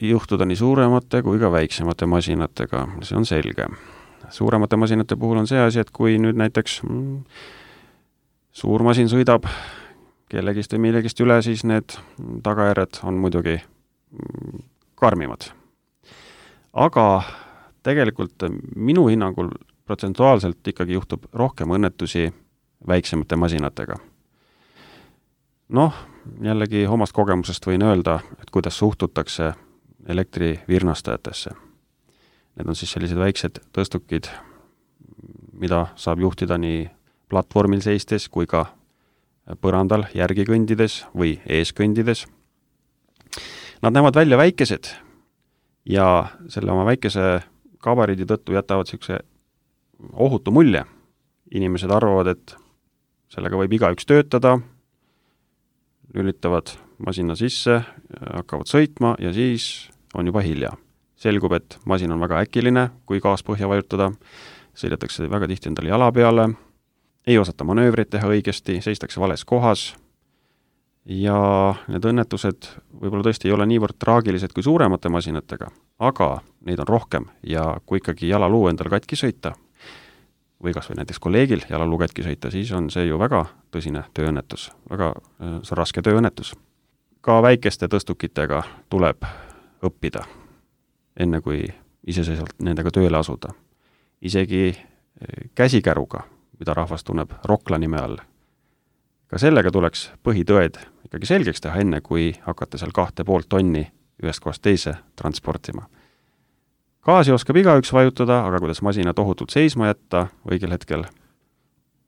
juhtuda nii suuremate kui ka väiksemate masinatega, see on selge. Suuremate masinate puhul on see asi, et kui nüüd näiteks mm, suur masin sõidab kellegist või millegist üle, siis need tagajärjed on muidugi mm, karmimad. Aga tegelikult minu hinnangul protsentuaalselt ikkagi juhtub rohkem õnnetusi väiksemate masinatega. Noh, jällegi omast kogemusest võin öelda, et kuidas suhtutakse elektrivirnastajatesse. Need on siis sellised väiksed tõstukid, mida saab juhtida nii platvormil seistes kui ka põrandal järgi kõndides või ees kõndides. Nad näevad välja väikesed ja selle oma väikese gabariidi tõttu jätavad sellise ohutu mulje. Inimesed arvavad, et sellega võib igaüks töötada, lülitavad masina sisse, hakkavad sõitma ja siis on juba hilja. Selgub, et masin on väga äkiline, kui gaas põhja vajutada, sõidetakse väga tihti endale jala peale, ei osata manöövrit teha õigesti, seistakse vales kohas ja need õnnetused võib-olla tõesti ei ole niivõrd traagilised kui suuremate masinatega, aga neid on rohkem ja kui ikkagi jalaluu endal katki sõita või kas või näiteks kolleegil jalaluu katki sõita, siis on see ju väga tõsine tööõnnetus, väga see raske tööõnnetus. Ka väikeste tõstukitega tuleb õppida, enne kui iseseisvalt nendega tööle asuda. Isegi käsikäruga, mida rahvas tunneb Rokla nime all. Ka sellega tuleks põhitõed ikkagi selgeks teha enne, kui hakata seal kahte poolt tonni ühest kohast teise transportima. Gaasi oskab igaüks vajutada, aga kuidas masina tohutult seisma jätta õigel hetkel,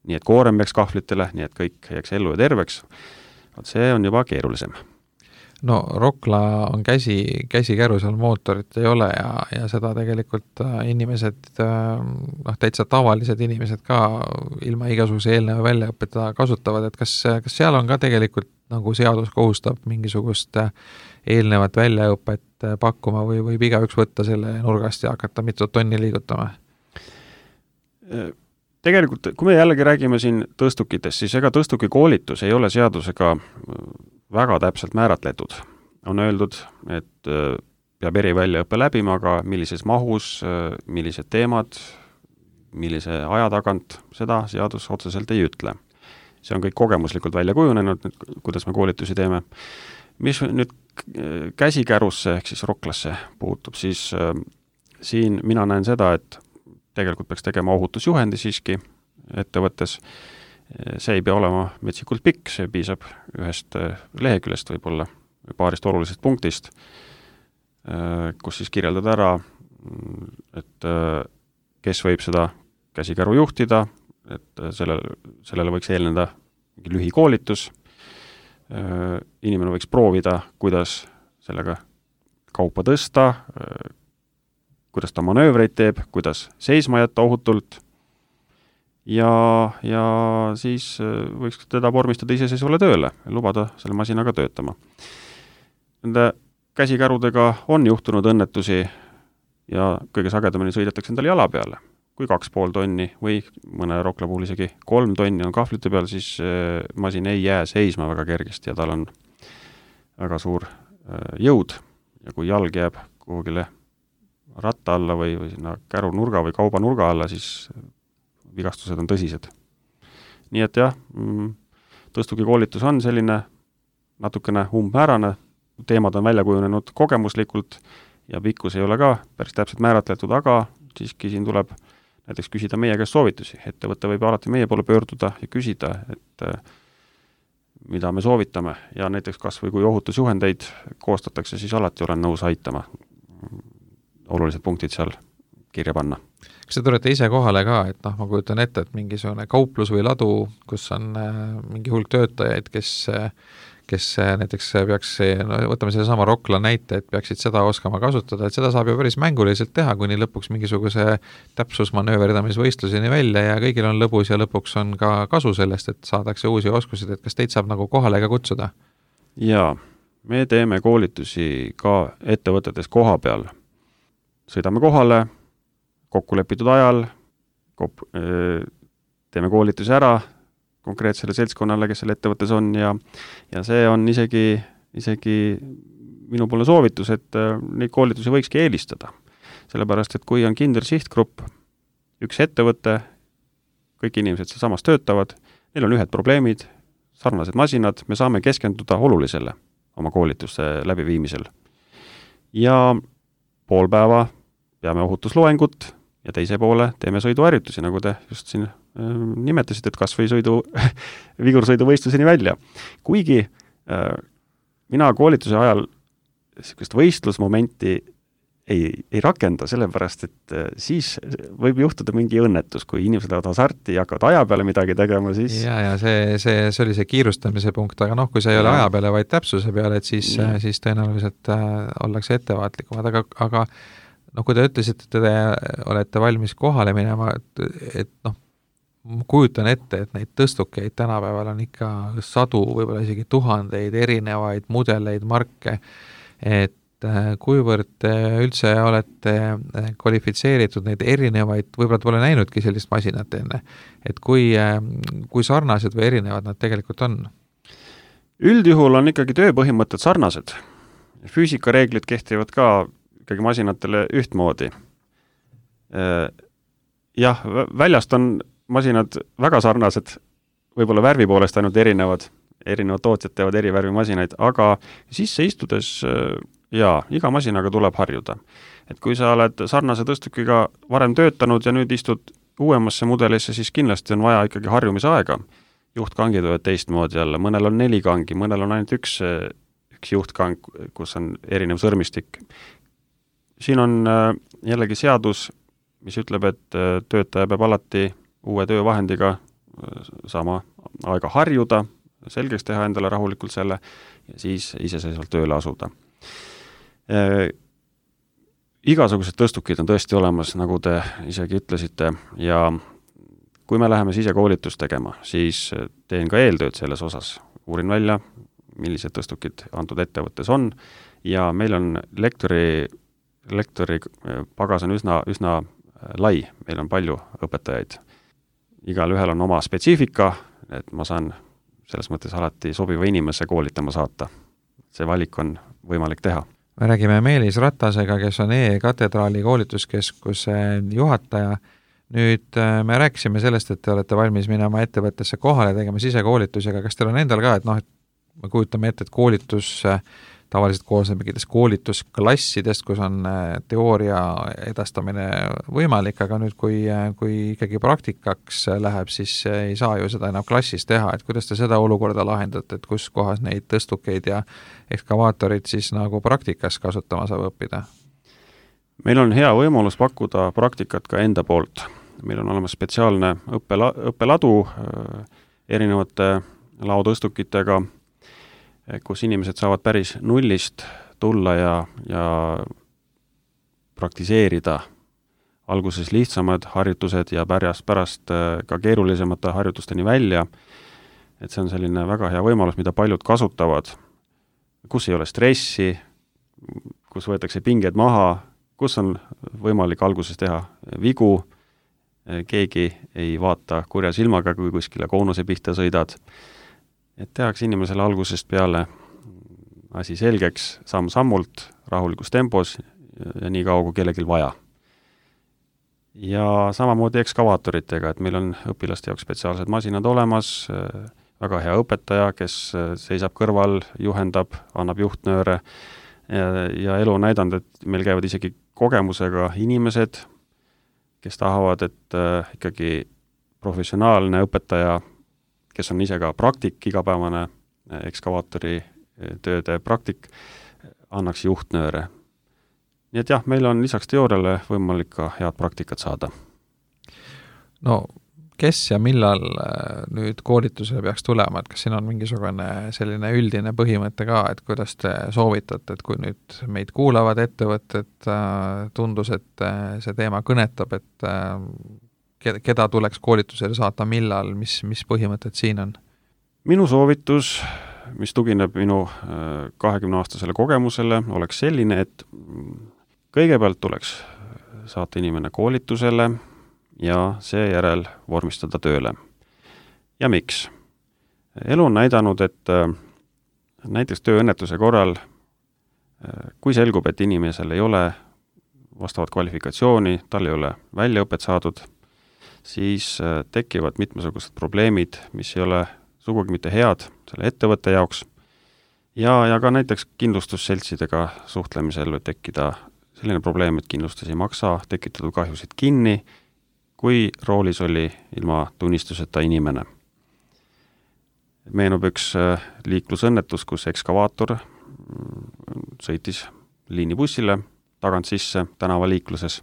nii et koorem jääks kahvlitele, nii et kõik jääks ellu ja terveks, see on juba keerulisem.
No Rokla on käsi, käsikäru, seal mootorit ei ole ja, ja seda tegelikult inimesed, noh, täitsa tavalised inimesed ka ilma igasuguse eelneva väljaõpeta kasutavad, et kas, kas seal on ka tegelikult nagu seadus kohustab mingisugust eelnevat väljaõpet pakkuma või võib igaüks võtta selle nurgast ja hakata mitu tonni liigutama?
Tegelikult, kui me jällegi räägime siin tõstukitest, siis ega tõstuki koolitus ei ole seadusega väga täpselt määratletud. On öeldud, et peab eri väljaõppe läbima, aga millises mahus, millised teemad, millise aja tagant, seda seadus otseselt ei ütle. See on kõik kogemuslikult välja kujunenud, kuidas me koolitusi teeme. Mis nüüd käsikärusse ehk siis Roklasse puutub, siis äh, siin mina näen seda, et tegelikult peaks tegema ohutusjuhendi siiski ettevõttes. See ei pea olema metsikult pikk, see piisab ühest leheküljest võib-olla paarist olulisest punktist, äh, kus siis kirjeldada ära, et äh, kes võib seda käsikäru juhtida, et sellele, sellele võiks eelneda mingi lühikoolitus. Inimene võiks proovida, kuidas sellega kaupa tõsta, kuidas ta manöövreid teeb, kuidas seisma jätta ohutult ja, ja siis võiks teda vormistada iseseisvale tööle ja lubada selle masinaga töötama. Nende käsikärudega on juhtunud õnnetusi ja kõige sagedamini sõidetakse endale jala peale. Kui kaks pool tonni või mõne Rokla puhul isegi kolm tonni on kahvlite peal, siis masin ei jää seisma väga kergesti ja tal on väga suur jõud. Ja kui jalg jääb kuhugile ratta alla või, või sinna käru nurga või kauba nurga alla, siis vigastused on tõsised. Nii et jah, tõstugi koolitus on selline natukene umbmäärane, teemad on välja kujunenud kogemuslikult ja pikkus ei ole ka päris täpselt määratletud, aga siiski siin tuleb näiteks küsida meie käest soovitusi. Ettevõte võib alati meie poole pöörduda ja küsida, et mida me soovitame ja näiteks kas või kui ohutusjuhendeid koostatakse, siis alati olen nõus aitama olulised punktid seal kirja panna.
Kas te tulete ise kohale ka, et noh, ma kujutan ette, et mingisugune kauplus või ladu, kus on mingi hulk töötajaid, kes kes näiteks peaks, no võtame selle sama Rokla näite, et peaksid seda oskama kasutada, et seda saab ju päris mänguliselt teha, kuni lõpuks mingisuguse täpsusmanööverdamisvõistluseni välja ja kõigil on lõbus ja lõpuks on ka kasu sellest, et saadakse uusi oskusid, et kas teid saab nagu kohale ka kutsuda?
Jaa, me teeme koolitusi ka ettevõtetes koha peal. Sõidame kohale, kokku lepitud ajal, kop, teeme koolitusi ära, konkreetsele seltskonnale, kes selle ettevõttes on ja, ja see on isegi, isegi minu poole soovitus, et neid koolitusi võikski eelistada. Sellepärast, et kui on kindel sihtgrupp, üks ettevõte, kõik inimesed seal samas töötavad, neil on ühed probleemid, sarnased masinad, me saame keskenduda olulisele oma koolituste läbiviimisel. Ja pool päeva peame ohutusloengut ja teise poole teeme sõiduharjutusi, nagu te just siin nimetasid, et kas või sõidu, vigursõiduvõistluseni välja. Kuigi mina koolituse ajal niisugust võistlusmomenti ei, ei rakenda, sellepärast, et siis võib juhtuda mingi õnnetus, kui inimesed lähevad hasarti ja hakkavad aja peale midagi tegema, siis
ja, ja see, see, see oli see kiirustamise punkt, aga noh, kui see ei ole aja peale, vaid täpsuse peale, et siis, siis tõenäoliselt äh, ollakse ettevaatlikumad, aga, aga noh, kui te ütlesite, et te olete valmis kohale minema, et, et noh, kujutan ette, et neid tõstukeid tänapäeval on ikka sadu, võib-olla isegi tuhandeid erinevaid mudeleid, marke, et kuivõrd te üldse olete kvalifitseeritud neid erinevaid, võib-olla te pole näinudki sellist masinat enne, et kui, kui sarnased või erinevad nad tegelikult on?
Üldjuhul on ikkagi tööpõhimõtted sarnased. Füüsikareeglid kehtivad ka ikkagi masinatele ühtmoodi. Jah, väljast on masinad väga sarnased, võib-olla värvi poolest ainult erinevad, erinevad tootjad teevad eri värvi masinaid, aga sisse istudes jaa, iga masinaga tuleb harjuda. Et kui sa oled sarnase tõstukiga varem töötanud ja nüüd istud uuemasse mudelisse, siis kindlasti on vaja ikkagi harjumisaega. Juhtkangid võivad teistmoodi jälle, mõnel on neli kangi, mõnel on ainult üks, üks juhtkang, kus on erinev sõrmistik. Siin on jällegi seadus, mis ütleb, et töötaja peab alati uue töövahendiga sama aega harjuda, selgeks teha endale rahulikult selle ja siis iseseisvalt tööle asuda. Äh, igasugused tõstukid on tõesti olemas, nagu te isegi ütlesite, ja kui me läheme sisekoolitust tegema, siis teen ka eeltööd selles osas. Uurin välja, millised tõstukid antud ettevõttes on, ja meil on lektori, lektori pagas on üsna, üsna lai, meil on palju õpetajaid. Igal ühel on oma spetsiifika, et ma saan selles mõttes alati sobiva inimese koolitama saata. See valik on võimalik teha.
Me räägime Meelis Ratasega, kes on E-katedraali koolituskeskuse juhataja. Nüüd me rääkisime sellest, et te olete valmis minema ettevõttesse kohale tegema sisekoolitusi, aga kas teil on endal ka, et noh, et me kujutame ette, et koolitus tavaliselt koosneb mingitest koolitusklassidest, kus on teooria edastamine võimalik, aga nüüd, kui, kui ikkagi praktikaks läheb, siis ei saa ju seda enam klassis teha, et kuidas te seda olukorda lahendate, et kus kohas neid tõstukeid ja ekskavaatorid siis nagu praktikas kasutama saab õppida?
Meil on hea võimalus pakkuda praktikat ka enda poolt. Meil on olemas spetsiaalne õppela, õppeladu erinevate laotõstukitega, kus inimesed saavad päris nullist tulla ja, ja praktiseerida alguses lihtsamad harjutused ja pärast, pärast ka keerulisemate harjutusteni välja. Et see on selline väga hea võimalus, mida paljud kasutavad, kus ei ole stressi, kus võetakse pinged maha, kus on võimalik alguses teha vigu, keegi ei vaata kurja silmaga, kui kuskile koonuse pihta sõidad. Et tehakse inimesele algusest peale asi selgeks, samm-sammult, rahulikus tempos ja nii kaua, kui kellelgi vaja. Ja samamoodi ekskavaatoritega, et meil on õpilaste jaoks spetsiaalsed masinad olemas, väga hea õpetaja, kes seisab kõrval, juhendab, annab juhtnööre ja, ja elu on näidanud, et meil käivad isegi kogemusega inimesed, kes tahavad, et äh, ikkagi professionaalne õpetaja, kes on ise ka praktik, igapäevane ekskavaatori tööde praktik, annaks juhtnööre. Nii et jah, meil on lisaks teooriale võimalik ka head praktikat saada.
No kes ja millal nüüd koolitusele peaks tulema, et kas siin on mingisugune selline üldine põhimõte ka, et kuidas te soovitate, et kui nüüd meid kuulavad ettevõtted, tundus, et see teema kõnetab, et keda tuleks koolitusele saata, millal, mis, mis põhimõtted siin on?
Minu soovitus, mis tugineb minu kahekümne-aastasele kogemusele, oleks selline, et kõigepealt tuleks saata inimene koolitusele ja seejärel vormistada tööle. Ja miks? Elu on näidanud, et näiteks tööõnnetuse korral, kui selgub, et inimesel ei ole vastavat kvalifikatsiooni, tal ei ole väljaõpet saadud, siis tekivad mitmesugused probleemid, mis ei ole sugugi mitte head selle ettevõtte jaoks. Ja, ja ka näiteks kindlustusseltsidega suhtlemisel võib tekkida selline probleem, et kindlustus ei maksa tekitatud kahjusid kinni, kui roolis oli ilma tunnistuseta inimene. meenub üks liiklusõnnetus, kus ekskavaator sõitis liinibussile tagant sisse tänavaliikluses.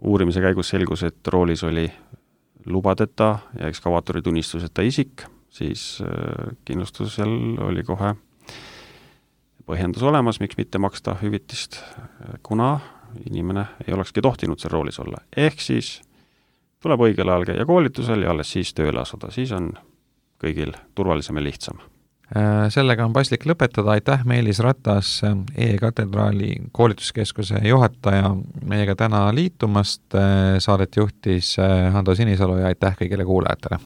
Uurimise käigus selgus, et roolis oli lubadeta ja ekskavaatori tunnistuseta isik, siis kindlustusel oli kohe põhjendus olemas, miks mitte maksta hüvitist, kuna inimene ei olekski tohtinud seal roolis olla. Ehk siis tuleb õigel ajal käia koolitusel ja alles siis tööle asuda, siis on kõigil turvalisem ja lihtsam.
Sellega on paslik lõpetada, aitäh Meelis Ratas, E-katedraali koolituskeskuse juhataja meiega täna liitumast, saadet juhtis Hando Sinisalu ja aitäh kõigile kuulajatele.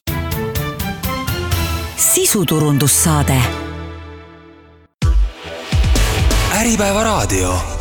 Sisuturundussaade.
Äripäeva raadio.